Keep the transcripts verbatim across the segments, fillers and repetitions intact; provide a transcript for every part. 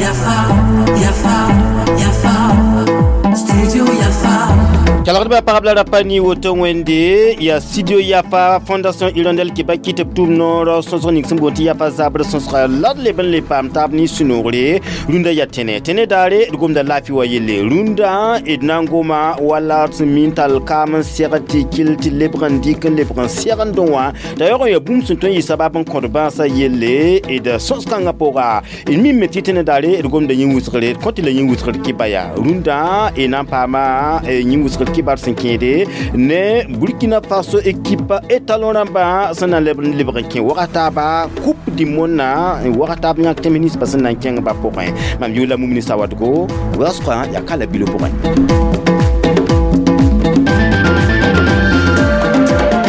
Yafa, Yafa, Yafa, Studio Yafa. Kalagdba pagb la rapa ni woto wẽnde yaa Studio Yafa Fondation Hirondelle kɩ ba kɩ tɩ b tʋm noor sõsg ning sẽn boond tɩ Yafa zabr sõsga la d leb n le paam taab ne sũ-noogre rũndã yaa tẽne tẽne daare d gomda laafɩ wa yelle rũndã d na n goma wala d sẽn min tall kaam n segd tɩ kell tɩ lebg n dɩk n lebg n segndẽ wã t'a yaoog n yaa bũmb sẽn tõe n yɩ sabab n kõt bãasã yelle d sõs-kãngã pʋga d mime tɩ tẽne daare d gomda yĩn-wʋsgre d kõt tɩ la yĩn-wʋsgr kɩba yaa rũndã d na n paama yĩn-wʋsgr kibar sẽn kẽede ne Burkina Faso équipe étalon rãmbã sẽn na n leb n lebg n kẽ waga taaba Coupe du monde na waga taab yãk tẽms ninsbã sẽn na n kẽng ba pʋgẽ mam yʋʋla Mumini Sawadgo waoosgã yaa ka la bilo pʋgẽ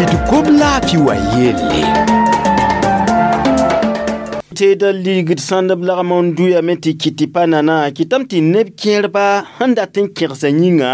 d gom laafɩ wa yelle tɩ ligd sãndb lagm n dʋyame tɩ kɩt tɩ pa nana kɩtame tɩ neb kẽerba sẽn dat n kẽgsa yĩnga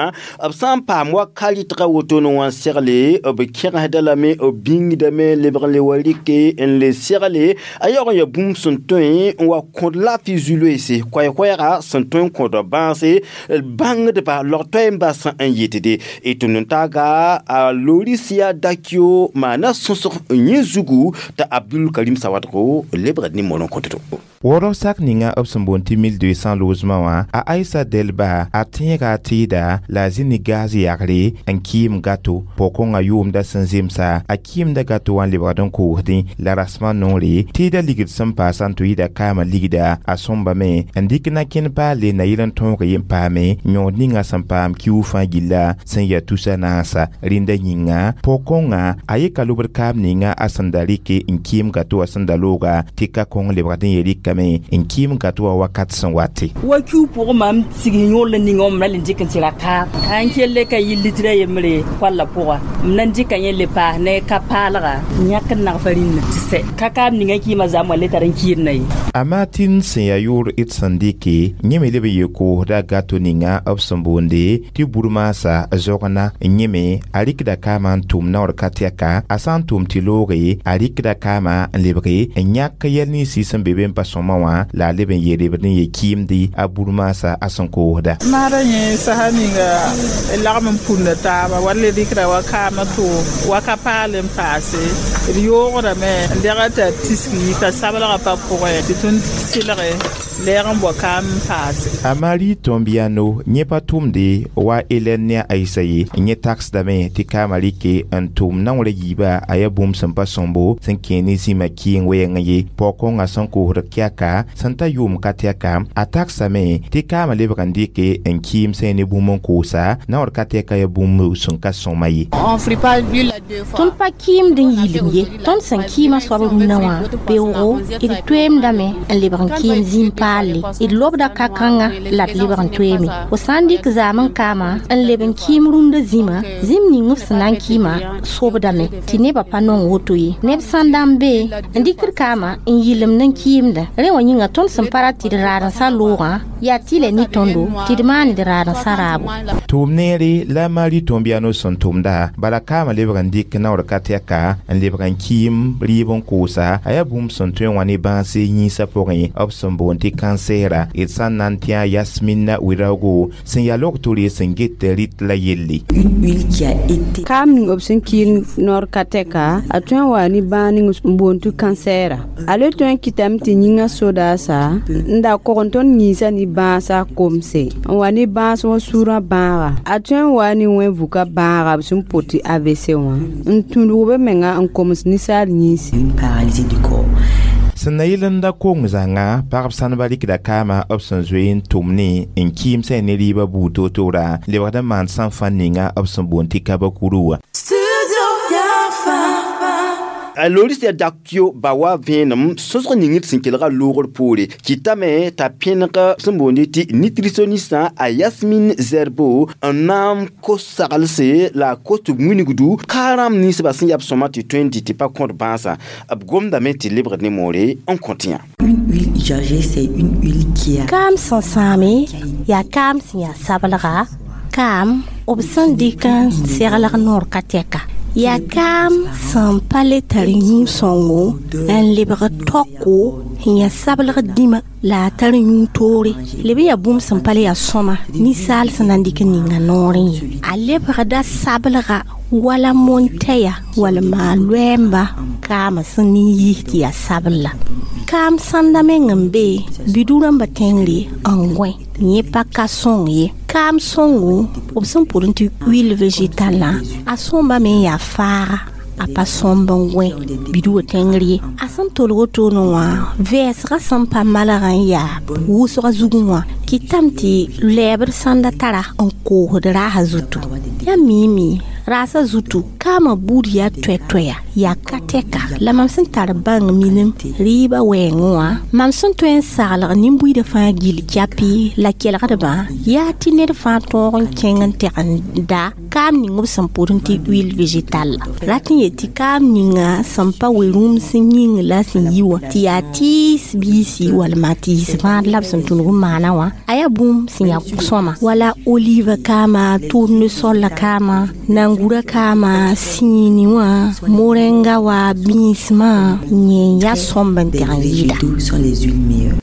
b sã n paam wa ka rɩtga wotone wã n segle b kẽgsda lame b bĩngdame lebg n le wa rɩke n le segle a yaoog n yaa bũmb sẽn tõe n wa kõd laafɩ zu-loeese koɛɛ-koɛɛga sẽn tõe n kõd bãase bãngdba log-toɛɛ n basã n yetde d tʋmd n taaga a Lorisia Dakio maana sõsg yẽ zugu t'a Abdul Karim Sawadgo lebgd ne moron kõtdo Wʋrg sak ninga b sẽn boond tɩ mille deux cents loosmã wã a Aïssa Delba a tẽega a tɩɩda la a zĩ ne gaz yagre n kɩɩm gato pʋg-kõngã yʋʋmda sẽn zemsa a kɩɩmda gato wã n lebgd n koosdẽ la rasmã noore tɩɩda ligd sẽn paasã n tɩ yɩɩda kaamã ligda a sõmbame n dɩk na kẽnd paale na yel n tõog yen paame yõod ninga sẽn paam kiuug fãa gilla sẽn yaa tusa naasa rẽnda yĩnga pʋg-kõngã a yeka lobd kaam ninga a sẽn da rɩke n kɩɩm gato wã sẽn da looga tɩ ka kõng lebgd n ye rɩka n kɩɩm gato wã wakat sẽn wate wa kiu pʋgẽ mam sig yõor la ninga m na le dɩk n tɩ ra kaam sã n kell ka yɩ litra yembre koalla pʋga m na n dɩka yẽ le paas ne ka paalga n yãk n nagfa rĩnd tɩ sɛ ka kaam ninga kɩɩmã zãm wã le tar n kɩɩdna ye a Martin sẽn yaa yʋʋr d sẽn dɩke yẽ me leb n yee koosda gato ninga b sẽn boonde tɩ burmaasa zogna yẽ me a rɩkda kaamã n tʋm naoor ka tɛka a sã n tʋm tɩ looge a rɩkda kaamã n lebge n yãk yɛl ninsɩ sẽn be be n pa sõma wã la a leb n yee lebd n ye kɩɩmde a burmaasa a sẽn koosda maara yẽ sasa ninga lagm n punda taaba wa le rɩkda wa kaamã tʋ wa ka paal n paase d yoogdame n dɛga t'a tiski t'a sablgã pa pʋgẽ tɩ tõnd sɩlge lɛɛg n bao kaam n paase a Marie Tombiano yẽ pa tʋmde wa Hélène ne a Aïssa ye yẽ tagsdame tɩ kaamã rɩke n tʋm naoorã yiiba a yaa bũmb sẽn pa sõmbo sẽn kẽ ne zĩmã kɩɩng wɛɛngã ye pɔg-kõngã sẽn koosd kɛka sẽn ta yʋʋm ka tɛka a tagsame tɩ kaamã lebg n dɩke n kɩɩm sẽn ne bũmb n koosa naoor ka tɛka yaa bũmb sẽn ka sõma ye Tõnd pa kɩɩmd n yɩlem ye tõnd sẽn kɩɩmã soab rũnã wã beoogo d toeemdame n lebg n kɩɩm zĩim paalle d lobda ka-kãngã la d lebg n toeeme fo sã n dɩk zaam n kaamã n leb n kɩɩm rũndã zĩma zĩm ning f sẽn na n kɩɩmã sobdame tɩ nebã pa nong woto ye neb sãn da n be n dɩkd kaamã n yɩlemd n kɩɩmda rẽ wã yĩnga tõnd sẽn pa rat tɩ d raadensã loogã yaa tɩlɛ ne tõndo tɩ d maan d raadensã raabo tʋʋm neere la Marie Tombiano sẽn tʋmda bala kaamã lebg n dɩk naoor ka tɛka n lebg n kɩɩm rɩɩb n koosa a yaa bũmb sẽn tõe n wã ne bãase yĩnsã pʋgẽ b sẽn boond tɩ kansɛɛra d sã n na n tẽ a Yasmina Ouedraogo sẽn yaa log-tore sẽn get rɩt la yelle kaam ning b sẽn kɩɩn noor ka tɛka a tõe n waa ne bãag ning n boond tɩ kansɛɛra a le tõe n kɩtame tɩ yĩngã sodaasa n da kog n tõnd yĩnsã ne bãasã komse n wa ne bãas wã sũurã bãaga a tõe n waa ne wẽ-vuka bãaga b sẽn pot tɩ A V C wã n tũudg b menga n koms ninsaal yĩnsi sẽn na yɩl n da kong zãnga pagb sãnba rɩkda kaamã b sẽn zoe n tʋm ne n kɩɩm sã ne rɩɩbã buud toor-toora lebgd n maan sãn fãn ninga b sẽn boond tɩ kabakuru wã A Lorisia Dakio ba wa vẽenem sõsg ning d sẽn kelga loogr poore kɩtame t'a pẽneg sẽn boonde tɩ nutritionnistã a Yasmine Zerbo n na n kos saglse la a kos tɩ b wilgdu ka rãmb ninsbã sẽn yaa b sõma tɩ tõe n dɩ tɩ pa kõt bãasã b gomdame tɩ lebgd ne moore n kõt yã Kaam sẽn sãame yaa kaam sẽn yaa sablga kaam b sẽn dɩk n seglg noor ka tɛka Yaa kaam sẽn pa le tar yũ-sõngo n lebg tɔko n yaa sablg dĩma la a tar yũ toore leb n yaa bũmb sẽn pa le yaa sõma ninsaal sẽn na n dɩk n ninga noorẽ ye a lebgda sablga wala montɛya walma loɛɛmba kaamã sẽn nin-yis tɩ yaa sabl la kaam sãnda meng n be bidu rãmbã tẽngre n gõe yẽ pa ka sõng ye kaam sõngo b sẽn pʋd tɩ huile végétalã a sõmbame n yaa faaga a pa sõmb n gõe bidu wã tẽngr ye a sẽn tolg wotone wã vɛɛsgã sẽn pa malgã n yaa wʋsgã zugẽ wã kɩtame tɩ lɛɛbd sãnda tara n koosd raasã zutu yaa miime raasã zutu kaamã buud yaa toɛ-toɛya yaa ka tɛka la mam sẽn tar bãng minim rɩɩbã wɛɛngẽ wã mam sẽn tõe n saglg nin-buiidã fãa gill kɛpɩ la kelgdbã yaa tɩ ned fãa tõog n kẽng n tɛg n da kaam ning b sẽn pʋd tɩ huile végétale rat n yet tɩ kaam ninga sẽn pa we-rũms yĩng la sẽn yi wã tɩ yaa tɩɩs biisi walma tɩɩs vãad la b sẽn tũnug n maana wã a yaa bũmb sẽn yaa sõma wala olive kaama tournesol la kaama nangura kaama sĩini wã morenga wa bĩismã yẽ n yaa sõmb n tɛg n yɩɩda. Sont les huiles meilleures.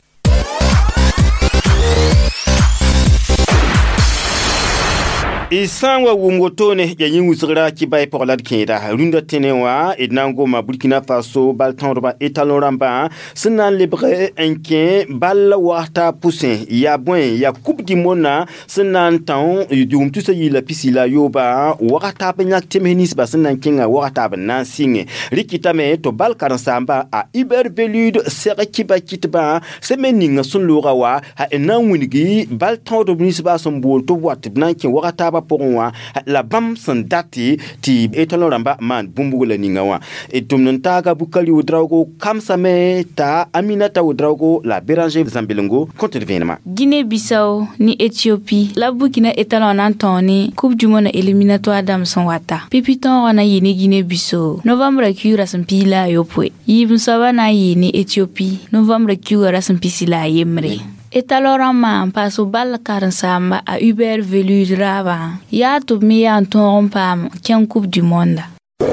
Y sã n wa wʋm wotone ya yẽ wʋsgra kɩ bay pʋg la d kẽeda rũndã tẽne wã d na n goma Burkina Faso bal tõodbã étalon rãmbã sẽn na n lebg n kẽ bal wagta pʋsẽ yaa bõe yaa Coupe du monde sẽn na n tão yʋʋm tusa yi la pisi la yooba wagta b yãk tems ninsba sẽn na n kẽnga wagta b na n sɩngẽ rɩkɩtame tɩ bal karen-saamba a Hubert Velud sɛg kɩba kɩtbã sẽn me ninga sẽn looga wa n na n wilgi bal tõodb ninsba sẽn bool tɩ b wat tɩ b na n kẽ wagta pʋgẽ wã la bãmb sẽn date tɩ étalon rãmba maan bũmb la ninga wã tʋmd n taaga Bukari Ouedraogo kamsame t'a Aminata Ouedraogo la Béranger Zambelengo kõt d vẽenema. Guinée-Bissau ni Éthiopie la Burkina étalon na n tõog ne Coupe du monde éliminatoire dãmb sẽn wata pipi tõogã na n yɩ ne Guinée-Bissau novembre kiugrã sẽn piig la a yopoe yiib n soabã na n yɩ ne Éthiopie novembre kiugrã ra sẽn pisi la a yembre. Étalon rãmbã n paas b bal karen-saamba a Hubert Velud raabã yaa tɩ b me yaa n tõog n paam kẽng Coupe du monde.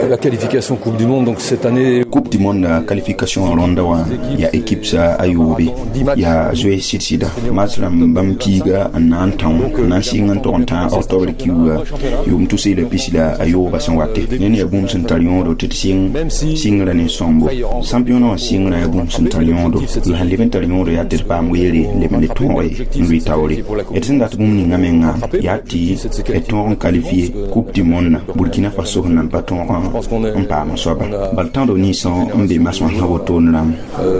La qualification Coupe du Monde, donc cette année. Coupe du Monde qualification ronda wa ya équipe sa ayobe ya joué sida match ram bam piga an tan nan singan ton tan octobre kiuga yum tout c'est le pisila ayoba san wate ne ya bum sen talion do tit sing singra ne sombo champion singra ya bum sen talion do la leven talion do ya ter pam wele le le ton re ngui tawre et sen dat bum ni ngamenga ya ti et ton qualifié Coupe du Monde Burkina Faso nan paton n paam soaba bal tãdo ninsã n be masã sã wotone rãmb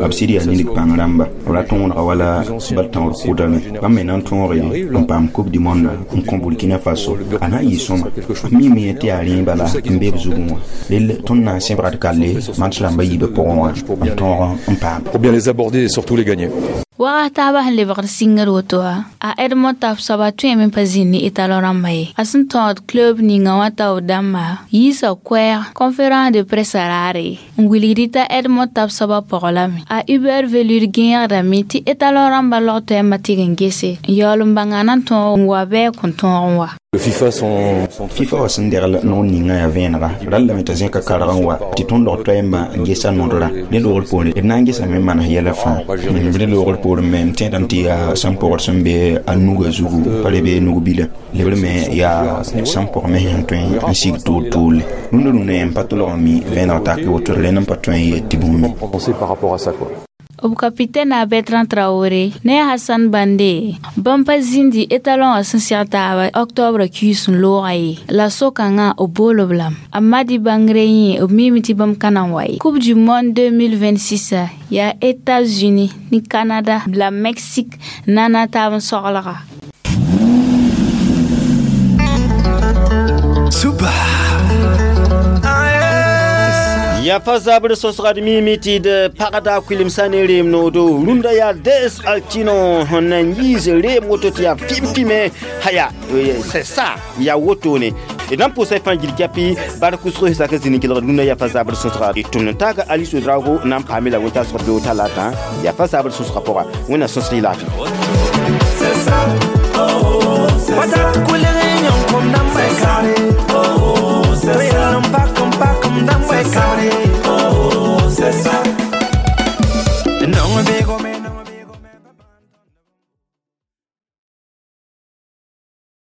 b sɩd yaa ninig pãng rãmba b ra tõodga wala bal tãood kʋdame bãmb me na n tõoge n paam Coupe du Monde n kõ Burkina Faso a na n yɩ sõma mime yẽ tɩ yaa rẽ bala n be b zugẽ wã rel tõnd na n sẽbgd kalle match rãmbã yiibã pʋgẽ wã n tõog n paam. Pour bien les aborder et surtout les gagner. Waga taaba sẽn lebgd sɩngd woto wã a Edmond Tapsoba tõeme n pa zĩnd ne étalon rãmbã ye a sẽn tõod club ninga wã tao dãmba yiisa koɛɛg conférence de presse raare n wilgd t'a Edmond Tapsoba pɔg lame a Hubert Velud gẽegdame tɩ étalon rãmbã log toɛɛmã tɩg n gese n yaool n bãnga na n tõog n wa bɩ kõn tõog n wa. FIFA sont, sont FIFA wa sẽn degl noor ninga yaa vẽenega rallame t'a zẽka karg n wa tɩ tõnd log toɛɛmbã n gesa nodra rẽ loogr poore d na n gesame n manes yɛla fãa rẽ loogr poore me m tẽedame tɩ yaa sẽn pʋgd sẽn be a nuga zugu pa le be nug-bila lebr me yaa sẽn pʋg me sẽn tõe n sig toor toorle rũndã rũndã yẽ n pa tolg n mi vẽeneg tak woto rẽnd n pa tõe n yet tɩ bũmb penser par rapport à ça quoi. B capitaine a Bertrand Traoré ne Hassan Bande bãmb pa zĩndi étalon wã sẽn seg taaba octobre kiis n loogã ye la so-kãngã b bool b lame a Madi Bãngre yẽ b miime tɩ bãmb ka na n wa ye Coupe du monde deux mille vingt-six yaa États-Unis ni Canada la Mexique na na taab n soglga. Super. Ya fa zabr sosgad mimi tɩ d pagda kuilemsã ne reem noodo rũndã yaa des altino sẽn na n yiis reem woto tɩ yaa fim-fime haya c'est ça yaa wotone d na n pʋʋsa fãa gil kɛpɩ bar kʋsg sak zĩni kelgd rũndã yaa fa zabr sõsga d tʋmd n taaga Alice Ouedraogo na n paame la wẽn-taasg beo talata yaa fa zabr sõsga pʋga wẽnna sõsg y laafɩ. C'est ça, oh, c'est ça.